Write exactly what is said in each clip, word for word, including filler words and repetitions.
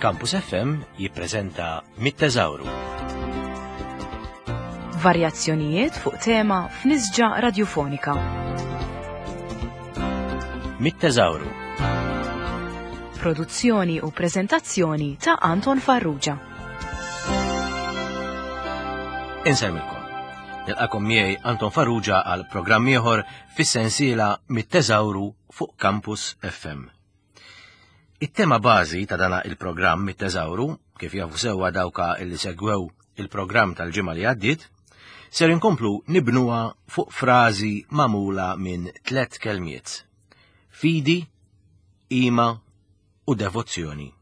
Campus F M jippreżenta Mit-Teżawru. Varjazzjonijiet fuq tema f'nisġa radiofonika. Mit-Teżawru. Produzzjoni u prezentazzjoni ta' Anton Farrugia. Insellmilkom. Nilqagħkom miegħi Anton Farrugia għal programm ieħor fis-sensiela Mit-Teżawru fuq Campus F M. It-tema bażi ta' dana il-programm Mit-Teżawru, kif jafu sewwa dawka illi segwew il-programm tal-ġimgħa li għaddiet, ser inkomplu nibnuha fuq frażi magħmula minn tlet kelmiet: fidi, qima u devozzjoni.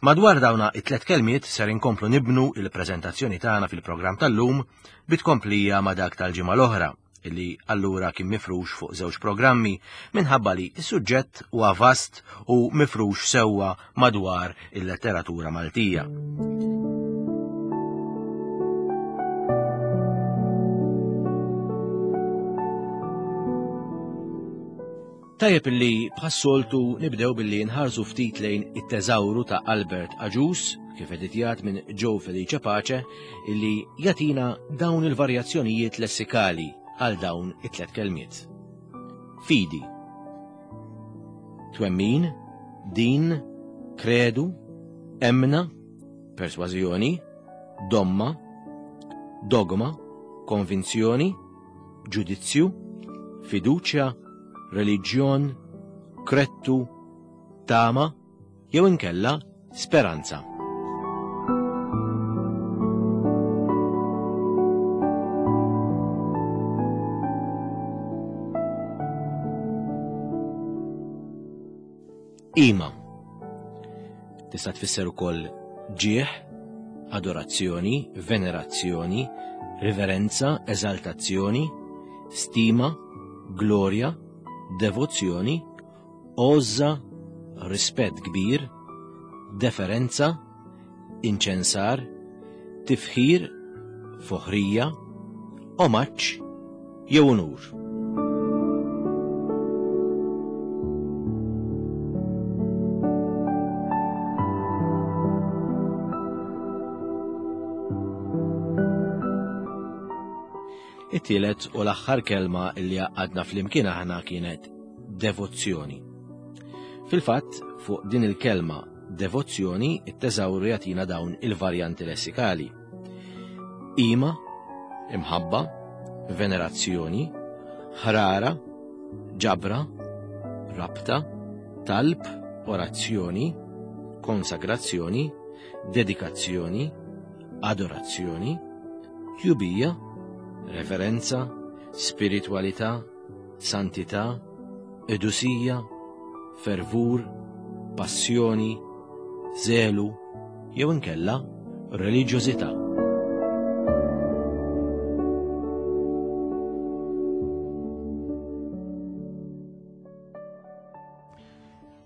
Madwar dawna it-tlet kelmiet ser inkomplu nibnu il-preżentazzjoni tagħna fil-programm tal-lum bit-tkomplija ma' dak tal-ġimgħa l-oħra, illi allura kien mifrux fuq żewġ programmi minħabba li s-suġġett huwa vast u mifrux sewwa madwar il-letteratura Maltija. Tajjeb illi bħas-soltu nibdew billi nħarsu ftit lejn it-teżawru ta' Albert Agius, kif editjat minn Joe Felice Pace, illi jagħtina dawn il-varjazzjonijiet lessikali għal dawn it-tlet kelmiet. Fidi. Twemmin, din, kredu, emna, persważjoni, domma, dogma, konvinzjoni, ġudizzju, fiduċja, reliġjon, krettu, tama, jew inkella speranza. Qima. Tista' tfisser ukoll ġieħ, adorazzjoni, venerazzjoni, riverenza, eżaltazzjoni, stima, glorja, devozzjoni, għożża, rispett kbir, deferenza, inċensar, tifħir, foħrija, omaġġ jew unur. It-tielet u l-aħħar kelma li għadna flimkien aħna kienet devozzjoni. Fil-fatt, fuq din il-kelma devozzjoni, it-teżawru jagħtina dawn il-varjanti lessikali: qima, imħabba, venerazzjoni, ħrara, ġabra, rabta, talb, orazzjoni, konsagrazzjoni, dedikazzjoni, adorazzjoni, tjubija, reverenza, spiritualità, santità, qdusija, fervur, passjoni, zelu, jew inkella reliġjożità.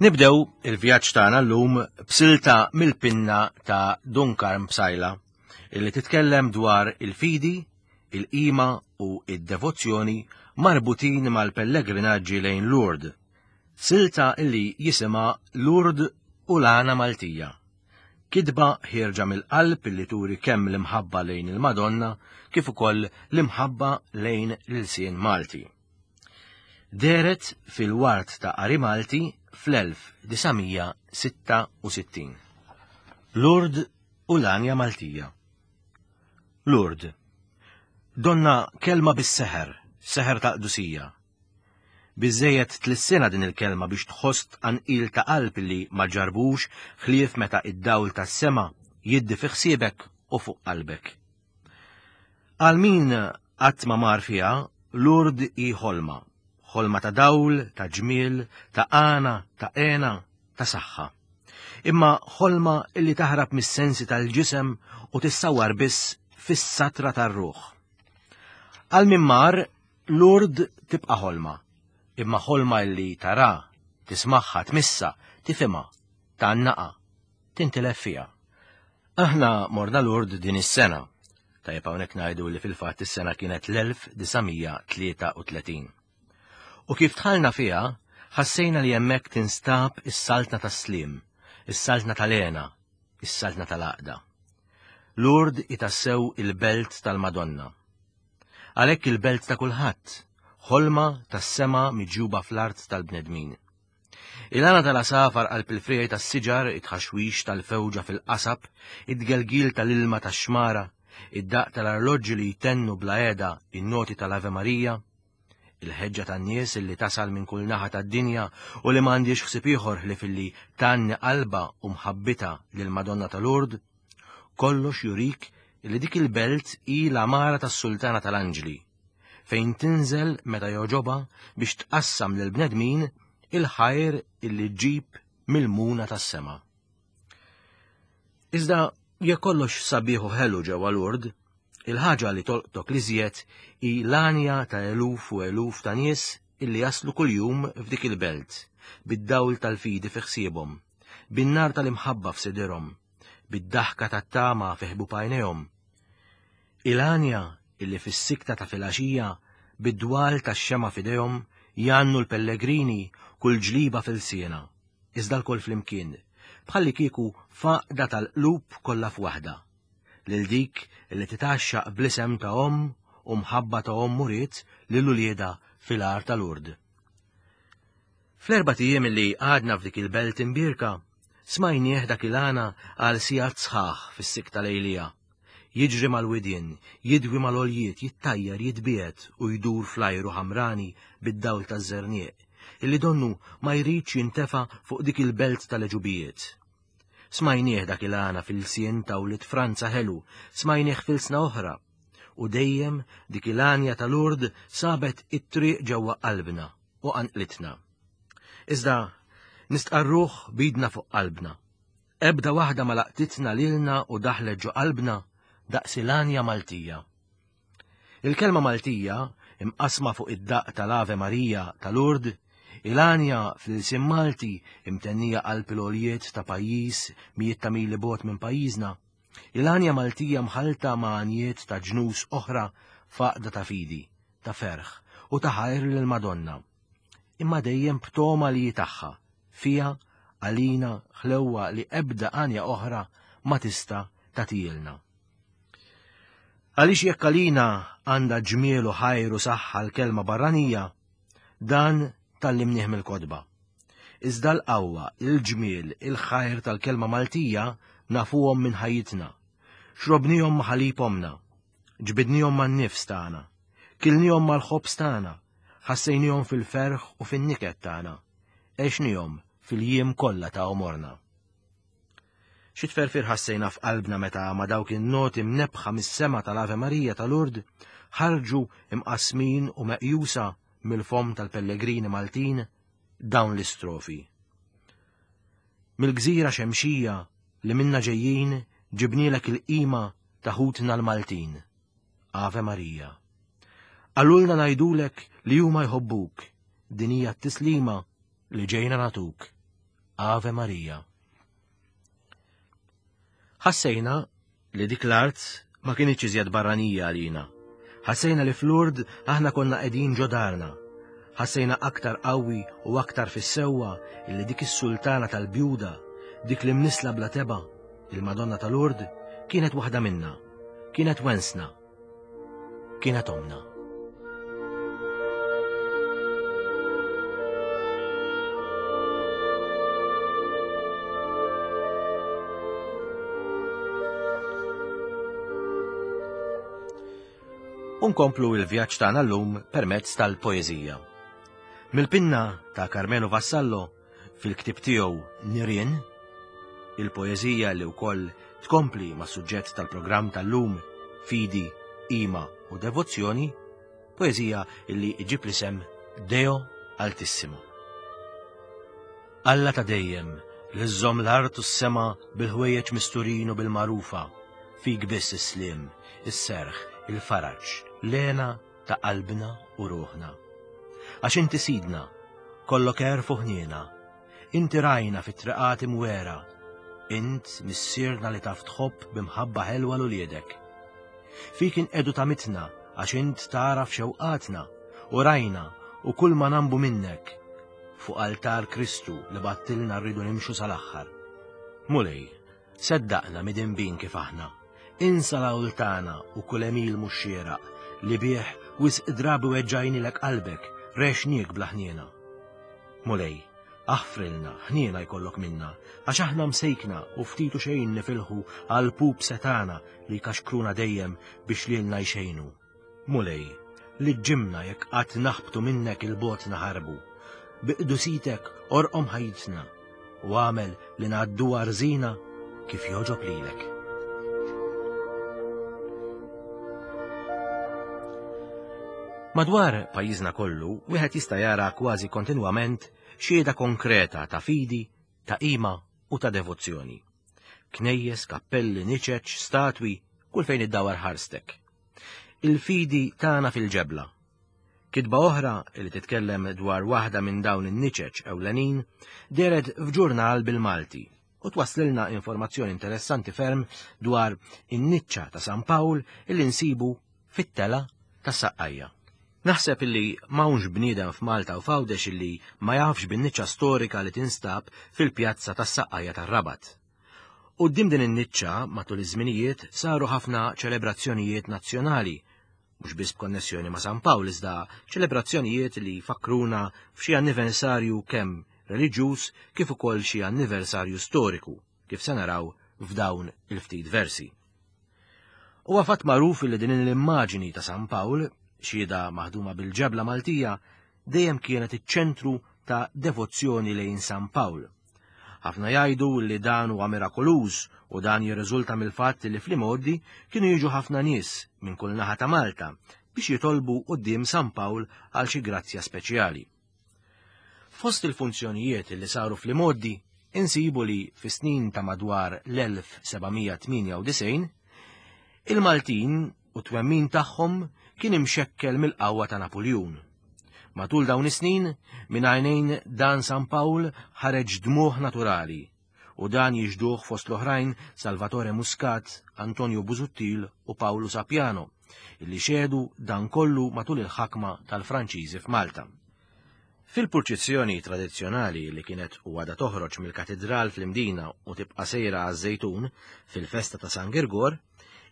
Nibdew il-vjaġġ tagħna llum b'silta mill-pinna ta' Dun Karm Psaila illi titkellem dwar il-fidi, il-qima u id-devozzjoni marbutin mal-pellegrinaġġi lejn Lourdes. Silta illi jisimha Lourdes u l-Għana Maltija. Kitba ħierġa mill-qalb illi turi kemm l-imħabba lejn il-Madonna kif ukoll l-imħabba lejn l-ilsien Malti. Dehret fil-Ward ta' Qari Malti fl-elf disa' mija sitta u sittin. Lourdes u l-Għanja Maltija. Lourdes. Donna kelma bis-seħer, seħer ta' qdusija. Biżejjed tlissinha din il-kelma biex tħoss tqanqil ta' qalb li ma ġarbux ħlief meta id-dawl tas-sema jiddi fi ħsiebek u fuq qalbek. Għal min qatt ma mar fiha, Lourdes hi ħolma, ħolma ta' dawl, ta' ġmiel, ta' għana, ta' hena, ta' saħħa. Imma ħolma illi taħrab mis-sensi tal-ġisem u tissawar biss fis-satra tar-ruħ. Għal min mar, Lourdes tibqa' ħolma, imma ħolma illi tara, tismagħha, tmissa, tifhimha, tgħannaqa, tintilef fiha. Aħna morna Lourdes din is-sena. Tajjeb hawnhekk ngħidu li fil-fatt is-sena kienet l-elf disa' mija tlieta u tletin. U kif dħalna fiha, ħassejna li hemmhekk tinstab is-saltna tas-slim, is-saltna tal-hena, is-saltna tal-għaqda. Lourdes hi tassew il-belt tal-Madonna. Għalhekk il-belt ta' kulħadd, ħolma tas-sema miġjuba fl-art tal-bnedmin. Il-għana tal-għasafar qalb il-friegħi tas-siġar, it-tħaxwix tal-fewġa fil-qasab, id-tgelgil tal-ilma tax-xmara, id-daqq tal-arloġġi li jtennu bla qiegħda in-noti tal-Ave Maria, il-ħeġġa tan-nies illi tasal minn kull naħa tad-dinja u li m'għandix ħsieb ieħor ħlief illi tgħanni qalbha u mħabbitha lill-Madonna ta' Lourdes, kollox jurik li dik il-belt hi l-għamara tas-Sultana tal-Anġli, fejn tinżel meta jogħġobha biex tqassam lill-bnedmin il-ħajr illi ġġib mill-muna tas-sema. Iżda jekk kollox sabiħ u ħelu ġewwa Lourdes, il-ħaġa li tolqtok l-iżjed hi l-għanja ta' eluf u eluf ta' nies illi jaslu kuljum f'dik il-belt, bid-dawl tal-fidi fi ħsiebhom, bin-nar tal-imħabba f'sidirhom, bid-daħka tat-tama fi ħbub għajnejhom. Il-għanja illi fis-sikta ta' filgħaxija bid-dwal tax-xema f'idejhom jgħannu l-pellegrini kull ġliba fil-siena, iżda lkoll flimkien, bħalli kieku faqda tal-qlub kollha f'waħda, lil dik li titgħaxxaq bl-isem ta' omm u mħabba ta' omm uriet lil uliedha fil-għar ta' Lourdes. Fl-erbat ijiem li għadna f'dik il-belt imbierka, smajnieh dak il-għana għal sigħat sħaħ fis-sikta lejlija. Jiġri mal-widien, jidwi mal-għoljiet, jittajjar, jitbiegħed u jdur fl-ajru ħamrani bid-dawl taż-żerniq, illi donnu ma jridx jintefa' fuq dik il-belt tal-għeġubijiet. Smajnieh dak il-għana fil-sien ta' wlied Franza ħelu, smajnieh fil-sna oħra, u dejjem dik il-għanja ta' Lourdes sabet it-triq ġewwa qalbna u qanqlitna. Iżda nistqarruh bidna fuq qalbna. Ebda waħda ma laqtitna lilna u daħlet ġo qalbna daqs il-għanja Maltija. Il-kelma Maltija, imqasma fuq id-daqq tal-Ave Maria ta' Lourdes, il-għanja fl-ilsien Malti imtennija qalb il-għoljiet ta' pajjiż mijiet ta' mili bogħod minn pajjiżna, il-għanja Maltija mħalta ma' għanjiet ta' ġnus oħra f'għaqda ta' fidi, ta' ferħ u ta' ħajr lill-Madonna. Imma dejjem b'toma li tagħha, fija għalina ħlewwa li ebda għanja oħra ma tista' tagħtielna. Għaliex jekk għalina għandha ġmiel u ħajr u saħħa l-kelma barranija, dan tgħallimnieh mill-kotba. Iżda l-qawwa, il-ġmiel, il-ħajr tal-kelma Maltija nafuhom minn ħajjitna. Xrobnihom ma' ħalib omna, ġbidnihom man-nifs tagħna, kilnihom mal-ħobż tagħna, ħassejnihom fil-ferħ u fin-niket tagħna, għexnihom fil-jiem kollha ta' għomorna. Xi tferfir ħassejna f'qalbna meta ma' dawk in-noti mnebbħa mis-sema tal-Ave Maria ta' Lourdes ħarġu imqasmin u meqjusa mill-fomm tal-pellegrini Maltin dawn l-istrofi. Mill-gżira xemxija li minna ġejjin ġibnilek il-qima ta' ħutna l-Maltin. Ave Maria. Qalulna ngħidulek li huma jħobbuk, din hija t-tislima li ġejna nagħtuk. Ave Maria. Ħassejna li dik l-art ma kinitx iżjed barranija għalina. Ħassejna li f'Lourdes aħna konna qegħdin ġo darna. Ħassejna aktar qawwi u aktar fis-sewwa illi dik is-sultana tal-bjuda, dik li mnisla bla teba, il-Madonna ta' Lourdes, kienet waħda minna, kienet wensna, kienet omna. Unkomplu il-vjaġġ tagħna llum permezz tal-poeżija. Mill-pinna ta' Karmenu Vassallo fil-ktieb tiegħu Nirien, il-poeżija li wkoll tkompli ma' suġġett tal-programm tal-lum Fidi, Qima u Devozzjoni, poeżija illi iġib l-isem Deo Altissimo. Alla ta' dejjem li żżomm l-art u s-sema bil-ħwejjeġ misturin u bil-magħrufa, fik biss is-sliem, is-serħ, il-faraġ, l-hena ta' qalbna u ruħna. Għax inti sidna, kollok għerf u ħniena, inti rajna fit-triqat imwera, int missierna li taf tħobb b'imħabba ħelwa l uliedek. Fik inqedu ta' mitna għax int tagħraf xewqatna u rajna u kull ma nambu minnek. Fuq altar Kristu li battilna rridu nimxu sal-aħħar. Mulej, seddaqna midinbin kif aħna, insa l-għawl tagħna u kull għemil mhux xieraq li bih wisq drabi weġġajnilek qalbek, rexniek bla ħniena. Mulej, aħfrilna, ħniena jkollok minna, għax aħna msejkna u ftit u xejn nifilħu għal pup setana li jkaxkruna dejjem biex lilna jxejnu. Mulej, liġġimna jekk qatt naħbtu minnek il-bogħod naħarbu. Bi qdusitek orqom ħajjitna u għamel li ngħadduha rżina kif jogħġob lilek. Madwar pajjiżna kollu, wieħed jista' jara kważi kontinwament xhieda konkreta ta' fidi, ta' qima u ta' devozzjoni. Knejjes, kappelli, niċeċ, statwi, kull fejn iddawar ħarstek. Il-fidi tagħna fil-ġebla. Kitba oħra li titkellem dwar waħda minn dawn in-niċeċ ewlenin dehret f'ġurnal bil-Malti u twaslilna informazzjoni interessanti ferm dwar in-niċċa ta' San Pawl illi nsibu fit-tela tas-Saqqajja. Naħseb illi m'hawnx bniedem f'Malta u f'Għawdex illi ma jafx bin-niċċa storika li tinstab fil-pjazza tas-Saqqajja tar-Rabat. Quddiem din in-niċċa matul iż-żminijiet saru ħafna ċelebrazzjonijiet nazzjonali, mhux biss b'konnessjoni ma' San Pawl iżda ċelebrazzjonijiet li jfakkruna f'xi anniversarju kemm reliġjuż kif ukoll xi anniversarju storiku, kif se naraw f'dawn il-ftit versi. Huwa fatt magħruf li din l-immaġini ta' San Pawl, xhieda maħduma bil-ġebla Maltija, dejjem kienet iċ-ċentru ta' devozzjoni lejn San Pawl. Ħafna jgħidu li dan huwa mirakoluż u dan jirriżulta mill-fatt li fl-imgħoddi kienu jiġu ħafna nies minn kull naħa ta' Malta biex jitolbu quddiem San Pawl għal xi grazzja speċjali. Fost il-funzjonijiet li saru fl-imgħoddi insibu li fis-snin ta' madwar l-elf sebgħamija tmienja u disgħin il-Maltin u twemmin tagħhom kien imxekkel mill-qawwa ta' Napuljun. Matul dawn is-snin, minn għajnejn dan San Pawl ħareġ dmuħ naturali u dan jiġduh fost l-oħrajn Salvatore Muscat, Antonio Busuttil u Paolo Sapiano, illi xehdu dan kollu matul il-ħakma tal-Franċiżi f'Malta. Fil-purċissjoni tradizzjonali li kienet u għadha toħroġ mill-katedral fl-Imdina u tibqa' sejra għaż-Żejtun fil-festa ta' San Girgor,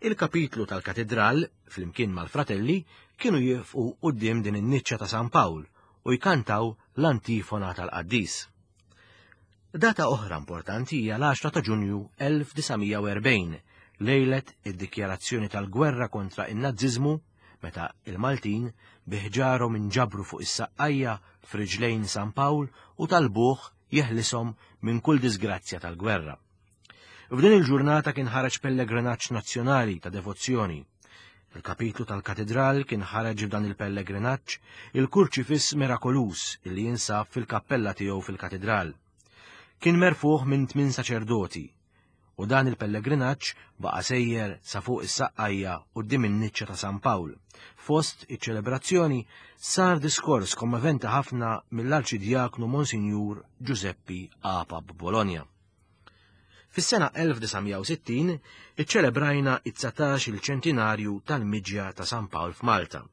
il-kapitlu tal-katedral, flimkien mal-fratelli, kienu jieqfu quddiem din in-niċċa ta' San Pawl u jkantaw l-antifona tal-qaddis. Data oħra importanti hija l-għaxra ta' Ġunju elf disa' mija u erbgħin, lejlet id-dikjarazzjoni tal-gwerra kontra in-Naziżmu, meta il-Maltin biħġarhom inġabru fuq is-saqqajja f'riġlejn San Pawl u talbuh jeħlishom minn kull disgrazzja tal-gwerra. F'din il-ġurnata kien ħareġ pellegrinaġġ nazzjonali ta' devozzjoni. Il-kapitlu tal-katedral kien ħareġ f'dan il-pellegrinaġġ il-kurċifiss mirakoluż illi jinsab fil-kappella tiegħu fil-katedral. Kien merfuħ minn tmien saċerdoti u dan il-pellegrinaġġ baqa' sejjer sa fuq is-saqqajja quddiem in-niċċa ta' San Pawl. Fost iċ-ċelebrazzjoni sar diskors kommoventi ħafna mill-Arċidjaknu Monsinjur Giuseppi Apap Bologna. Fis-sena elf disa' mija u sittin iċċelebrajna it-dsatax il-ċentinarju tal-miġja ta' San Pawl f'Malta.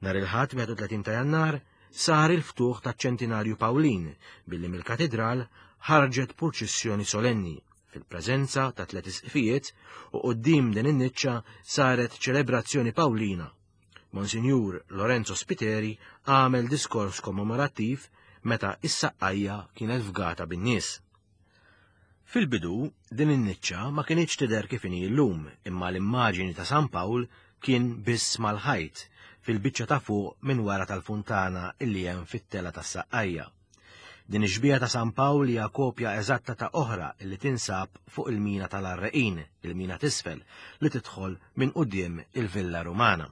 Nhar il-Ħadd wieħed u tletin ta' Jannar sar il-ftuħ taċ-ċentinarju Pawlin billi mill-katedral ħarġet purċissjoni solenni fil-preżenza ta' tliet isqfijiet u quddiem din in-niċċa saret ċelebrazzjoni Pawlina. Monsinjur Lorenzo Spiteri għamel diskors kommemorattiv meta is-saqqajja kienet fgata bin-nies. Fil-bidu, din in-niċċa ma kinitx tidher kif inhi llum, imma l-immaġini ta' San Pawl kien biss mal-ħajt fil-biċċa ta' fuq minn wara tal-funtana illi hemm fit-tela tas-saqqajja. Din ix-xbieha ta' San Pawl hija kopja eżatta ta' oħra illi tinsab fuq il-mina tal-Arreqin, il-mina t'isfel, li tidħol minn quddiem il-Villa Rumana.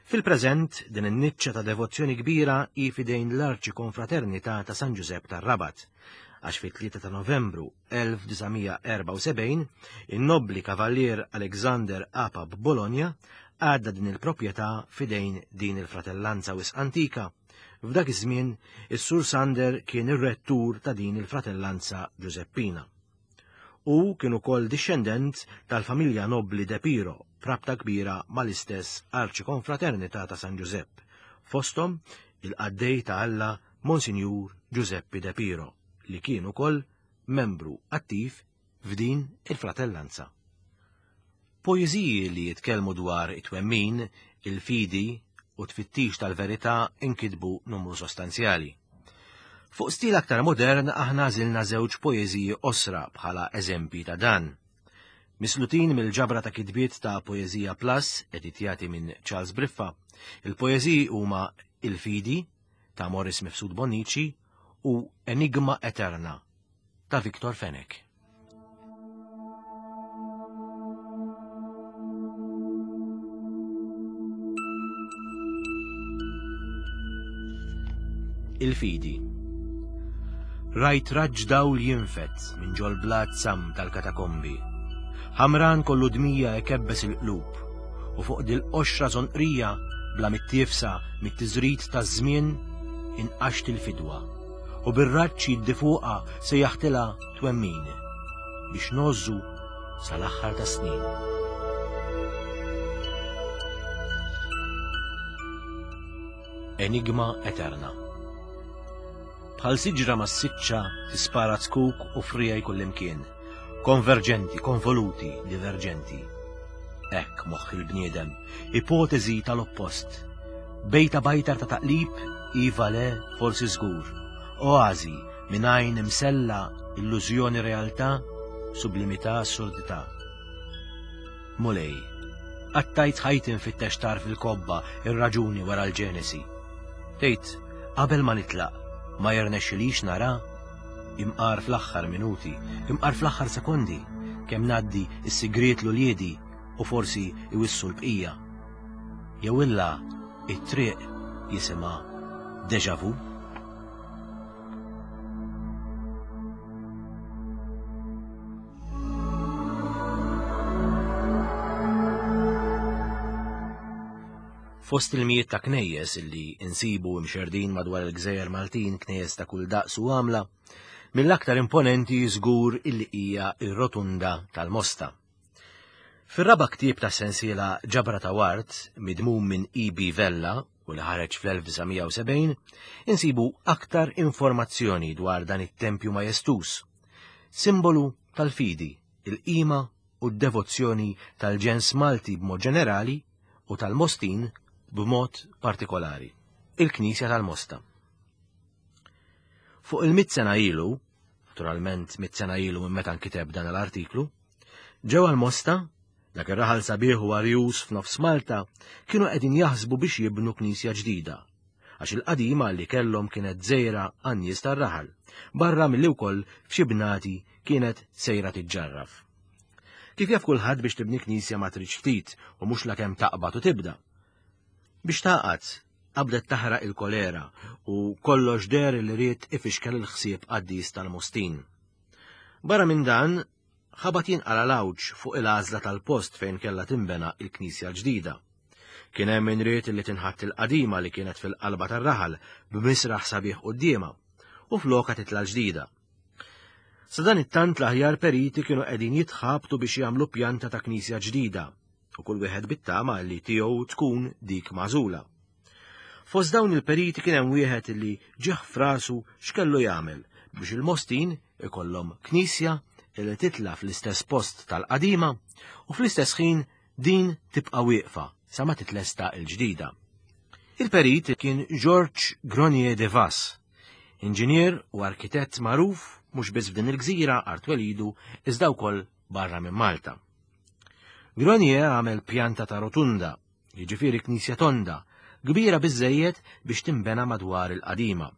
Fil-preżent, din in-niċċa ta' devozzjoni kbira hi f'idejn l-Arċikonfraternità ta' San Ġużepp tar-Rabat, għax fit-tlieta ta' Novembru elf disa' mija erbgħa u sebgħin in-nobbli kavallier Alexander Apap Bologna għadda din il-proprjetà f'idejn din il-fratellanza wisq antika. F'dak iż-żmien, is-Sur Sander kien ir-rettur ta' din il-fratellanza Ġużeppina. U kien ukoll dixxendent tal-familja nobbli De Piro, prabta kbira mal-istess Arċikonfraternità ta' San Ġużepp, fosthom il-qaddej ta' Alla Monsinjur Giuseppe De Piro, li kien ukoll membru attiv f'din il-fratellanza. Poeżiji li jitkellmu dwar it-twemmin, il-fidi u tfittix tal-verità inkitbu numru sostanzjali. Fuq stil aktar modern aħna għażilna żewġ poeżiji qosra bħala eżempji ta' dan. Mislutin mill-ġabra ta' kitbiet ta' Poeżija Plus, editjati minn Charles Briffa, il-poeżiji huma Il-Fidi ta' Morris Mifsud Bonnici u Enigma Eterna ta' Victor Fenech. Il-Fidi. Rajt raġġ dawl jinfet minn ġol blat sam tal-katakombi. Ħamran kollu dmija ikebbes il-qlub u fuq dil-qoxra żonqrija bla mittiefsa mit-tiżrid taż-żmien inqaxt il-fidwa u bir-raġġ jiddi fuqha se jaħtilha twemmin biex ngħożżu sal-aħħar tas-snin. Enigma Eterna. Bħal siġra massiċċa tispara zkuk u frijaj kullimkien. Konverġenti, konvoluti, diverġenti. Hekk moħħ il-bniedem, ipotezi tal-oppost. Bejta bajtar ta' taqlib, iva le, forsi żgur. Oazi, minn għajn imsella, illużjoni realtà, sublimità assurdità. Mulej, qattajt ħajti nfittex tarf il-kobba, ir-raġuni wara l-ġenesi. Tgħid, qabel ma nitlaq, ma jirnexxilix nara, imqar fl-aħħar minuti, imqar fl-aħħar sekondi, kemm ngħaddi s-sigriet l-uliedi u forsi iwissu l-bqija. Jew illa it-triq jisimha déjà vu. Fost il-mijiet ta' knejjes illi insibu imxerdin madwar il-gżejjer Maltin, knejjes ta' kull daqs u għamla, mill-aktar imponenti żgur illi hija ir-Rotunda tal-Mosta. Fir-raba' ktieb ta' sensiela Ġabra ta' Wart, midmum minn E B Vella u li ħareġ fl-elf disa' mija u sebgħin, insibu aktar informazzjoni dwar dan it-tempju majestuż, simbolu tal-fidi, il-qima u d-devozzjoni tal-ġens Malti b'mod ġenerali u tal-Mostin b'mod partikolari, il-Knisja tal-Mosta. Fuq il-mitt sena ilu, naturalment mitt sena ilu minn meta nkiteb dan l-artiklu, ġewwa l-Mosta, dak ir-raħal sabiħ u arjus f'nofs Malta, kienu qegħdin jaħsbu biex jibnu knisja ġdida, għax il-qadima li kellhom kienet żejra għan-nies tar-raħal, barra milli wkoll f'xi bnati kienet sejra tiġġarraf. Kif jaf kulħadd biex tibni knisja ma tridx ftit u mhux lakemm taqbad u tibda. Biex taqgħad, qabdet taħraq il-kolera u kollox deher li ried ifixkel il-ħsieb qaddis tal-Mostin. Barra minn dan, ħabat jinqala l-għawġ fuq il-għażla tal-post fejn kellha tinbena il-knisja l-ġdida. Kien hemm min ried li tinħatt il-qadima li kienet fil-qalba tar-raħal b'misraħ sabiħ quddiemha u floka titla' l-ġdida. Sa dan it-tant l-aħjar periti kienu qegħdin jitħabtu biex jagħmlu pjanta ta' knisja ġdida u kull wieħed bit-tama li tiegħu tkun dik magħżula. Fost dawn il-periti kien hemm wieħed li ġieħ f'rasu x'kellu jagħmel biex il-Mostin ikollhom knisja li titla' fl-istess post tal-qadima u fl-istess ħin din tibqa' wieqfa sa ma titlesta l-ġdida. Il-perit kien Georges Gronier de Vas, inġinier u arkitett magħruf mhux biss f'din il-gżira art twelidu iżda wkoll barra minn Malta. Gronier għamel pjanta ta' rotunda, jiġifieri knisja tonda, kbira biżżejjed biex tinbena madwar il-qadima.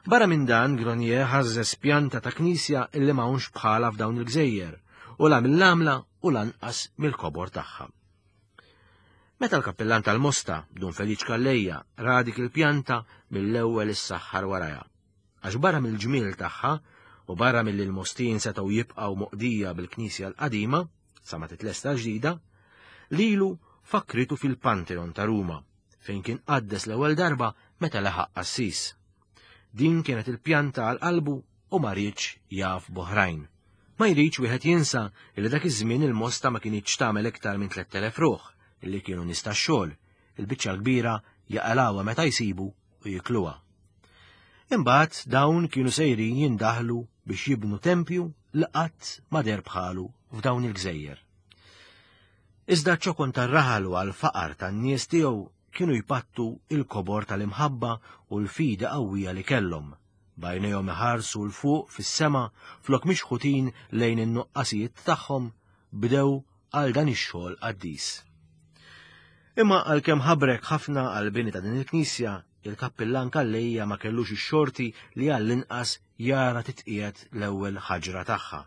Barra minn dan, Gronier ħażżes pjanta ta' knisja illi m'hawnx bħala f'dawn il-gżejjer, u la mill-għamla u lanqas mill-kobor tagħha. Meta l-kappellan tal-Mosta, Dun Feliċ Calleja, ra dik il-pjanta mill-ewwel issaħħar warajha. Għax barra mill-ġmiel tagħha u barra milli l-Mostin setgħu jibqgħu moqdija bil-knisja l-qadima, sa ma titlesta ġdida, lilu fakritu fil-Pantheon ta' Ruma, fejn kien qaddes l-ewwel darba meta laħaq qassis. Din kienet il-pjanta għal qalbu u ma riedx jaf b'oħrajn. Ma jridx wieħed jinsa li dak iż-żmien il-Mosta ma kinitx tagħmel iktar minn tlett elef ruħ illi kienu nies tax-xogħol, il-biċċa l-kbira jaqalawha meta jsibu u jikluha. Imbagħad dawn kienu sejrin jindaħlu biex jibnu tempju li qatt ma deher bħalu f'dawn il-gżejjer. Iżda ċ-ċokon tar-raħal u għall-faqar tan-nies tiegħu kienu jpattu il-kobor tal-imħabba u l-fidi qawwija li kellhom, b'għajnejhom iħarsu 'l fuq fis-sema flok mixħutin lejn in-nuqqasijiet tagħhom, bdew għal dan ix-xogħol qaddis. Imma għalkemm ħabrek ħafna għall-bini ta' din il-knisja, il-kappillan Calleja ma kellux ix-xorti li għall-inqas jara titqiegħed l-ewwel ħaġra tagħha.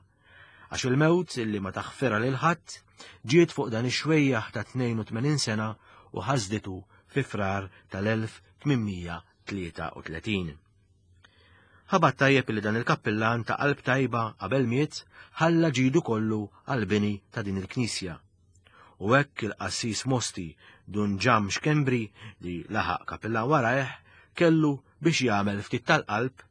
Għax il-mewt illi ma taħfirha lil ħadd ġiet fuq dan ix-xwejjaħ ta' tnejn u tmenin sena u ħasditu fi Frar tal-elf tmien mija tlieta u tletin. Ħabat tajjeb li dan il-kappillan ta' qalb tajba qabel miet ħalla ġidu kollu għall-bini ta' din il-knisja. U hekk il-qassis Mosti Dun Ġam Xkembri li laħaq kappillan warajh kellu biex jagħmel ftit tal-qalb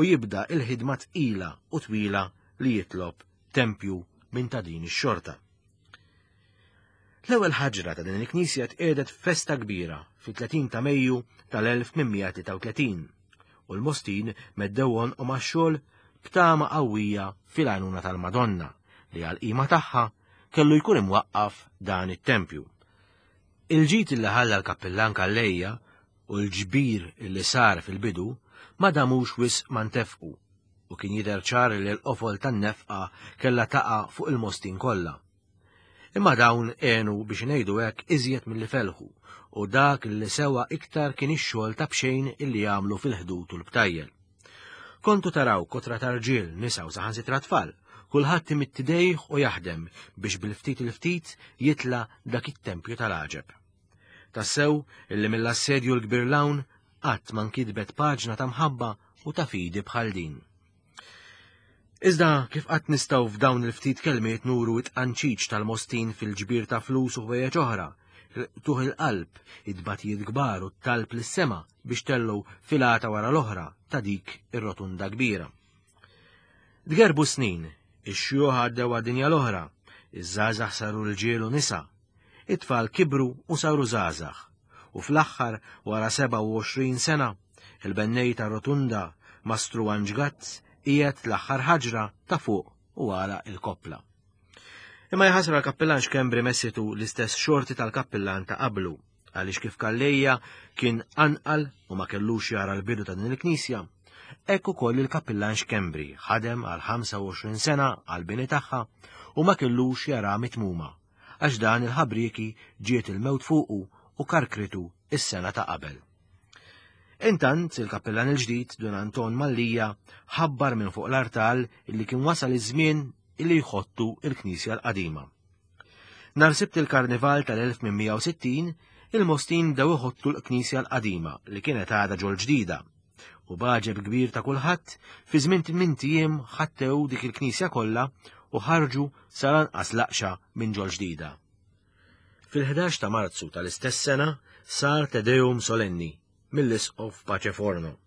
u jibda il-ħidma tqila u twila li jitlob tempju minn ta' din ix-xorta. L-ewwel ħaġra ta' din il-knisja tqiegħdet f'festa kbira fit-tletin ta' Mejju tal-elf tmien mija tlieta u tletin u l-Mostin meddew għonqhom għax-xogħol b'tama qawwija fil-għajnuna tal-Madonna li għall-qima tagħha kellu jkun imwaqqaf dan it-tempju. Il-ġid li ħalla l-kappillan Calleja u l-ġbir li sar fil-bidu ma damux wisq ma ntefqu u kien jidher ċar li l-qofol tan-nefqa kellha taqa' fuq il-Mostin kollha. Imma dawn għenu biex ngħidu hekk iżjed milli felħu u dak li sewa iktar kien ix-xogħol ta' bxejn illi jagħmlu fil-ħdud u l-btajjel. Kontu taraw kotra ta' rġiel, nisa u saħansitra tfal, kulħadd imidd idejh u jaħdem biex bil-ftit il-ftit jitla' dak it-tempju tal-għaġeb. Tassew illi mill-assedju l-kbir l-hawn qatt ma nkitbet paġna ta' mħabba u ta' fidi bħal din. Iżda kif qatt nistgħu f'dawn il-ftit kelmiet nuru it-tqanċiċ tal-Mostin fil-ġbir ta' flus u ħwejjeġ oħra, tuħ il-qalb, id-batijiet kbar u t-talb lis-sema biex tellgħu filata wara l-oħra ta' dik ir-rotunda kbira. Tgerbu snin, ix-xjuħ għaddew għad-dinja l-oħra, iż-żgħażagħ saru rġiel u nisa, it-tfal kibru u saru żgħażagħ, u fl-aħħar wara sebgħa u għoxrin sena, il-bennej ta' rotunda Mastru Anġgazz qiegħed l-aħħar ħaġra ta' fuq u għala il-koppla. Imma jħasra l-kappillan Xkembri messitu l-istess xorti tal-kappillan ta' qablu, għaliex kif Calleja kien anqal u ma kellux jara l-bidu ta' din il-knisja, hekk ukoll il-kappillan Xkembri ħadem għal ħamsa u għoxrin sena għall-bini tagħha u ma kellux jara mitmuma, għax dan il-ħabrieki ġiet il-mewt fuqu u karkritu is-sena ta' qabel. Intant, il-kappillan il-ġdid Dun Anton Mallia ħabbar minn fuq l-artal illi kien wasal iż-żmien illi jħottu il-knisja l-qadima. Nhar Sibt il-Karnival tal-elf tmien mija u sittin, il-Mostin bdew iħottu l-knisja l-qadima li kienet għadha ġol ġdida. U b'għaġeb kbir ta' kulħadd, fi żmien tmien ijiem ħattew dik il-knisja kollha u ħarġu sal-anqas laqxa minn ġol ġdida. Fil-ħdax ta' Marzu tal-istess sena sar Te Deum solenni mill-Isqof Pace Forno,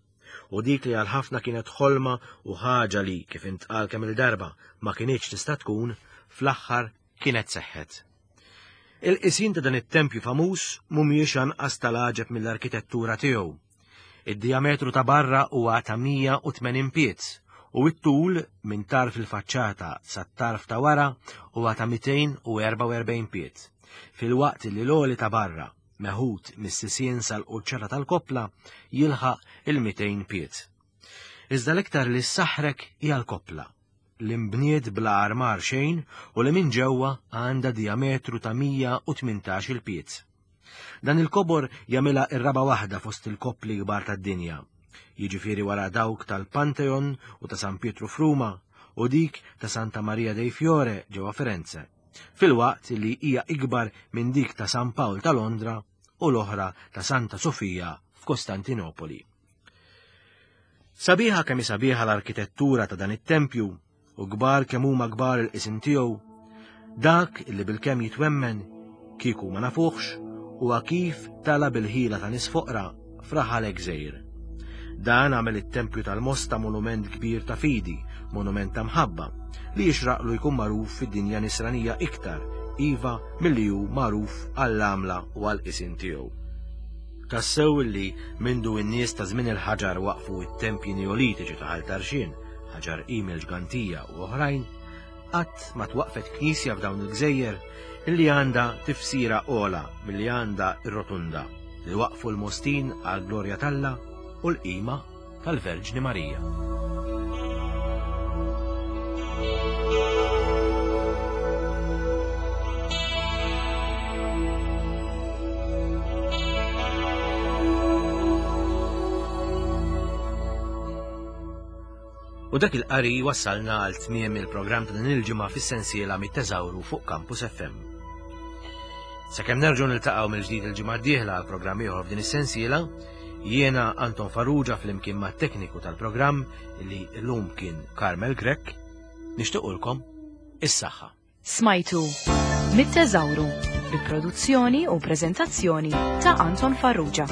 u dik li għal ħafna kienet ħolma u ħaġa li, kif intqal kemm il-darba, ma kinitx tista' tkun, fl-aħħar kienet seħħet. Il-qisin ta' dan it-tempju famuż mhumiex anqas tal-għaġeb mill-arkitettura tiegħu. Id-diametru ta' barra huwa ta' mija u tmenin pied u t-tul minn tarf il-faċċata sat-tarf ta' wara huwa ta' mitejn u erba' u erbgħin pied, filwaqt li l-għoli ta' barra meħud mis-sisien sal-quċċata tal-koppla jilħaq il-mitejn pied. Iżda l-iktar li ssaħħrek hija l-koppla, li nbniet bla armar xejn u li minn ġewwa għandha diametru ta' mija u tmintax il-pied. Dan il-kobor jagħmilha ir-raba' waħda fost il-koppli kbar tad-dinja, jiġifieri wara dawk tal-Pantheon u ta' San Pietru f'Ruma u dik ta' Santa Maria dei Fiore ġewwa Firenze, filwaqt li hija ikbar minn dik ta' San Pawl ta' Londra u l-oħra ta' Santa Sofija f'Kostantinopoli. Sabiħa kemm hi sabiħa l-arkitettura ta' dan it-tempju u kbar kemm huma kbar il-qism tiegħu, dak li bilkemm jitwemmen kieku ma nafuħx huwa kif tala bil-ħila ta' nies foqra f'raħal gżejjer. Dan għamel it-tempju tal-Mosta monument kbir ta' fidi, monument ta' mħabba, li jixraqlu jkun magħruf fid-dinja nisranija iktar, iva milli hu magħruf għall-għamla u għall-qisin tiegħu. Tassew li mindu n-nies ta' żmien il-ħaġar waqfu it-tempji neolitiċi ta' Ħal Tarxien, Ħaġar Qim il-Ġgantija u oħrajn, Qatt ma twaqfet knisja f'dawn il-gżejjer illi għandha tifsira ogħla milli għandha r-Rotunda li waqfu l-Mostin għall-glorja t'Alla u l-qima tal-Verġni Marija. U dak il-qari wassalna għal tmiem il-programm ta' din il-ġimgħa fis-sensiela mit-teżawru fuq Campus F M. Sakemm nerġgħu niltaqgħu mill-ġdid il-ġimgħa d-dieħla għal programm ieħor f'din is-sensiela, jiena Anton Farrugia flimkien mat-tekniku tal-programm li llum kien Carmel Grech, nixtiequlkom is-saħħa. Smajtu mit-teżawru bi produzzjoni u preżentazzjoni ta' Anton Farrugia.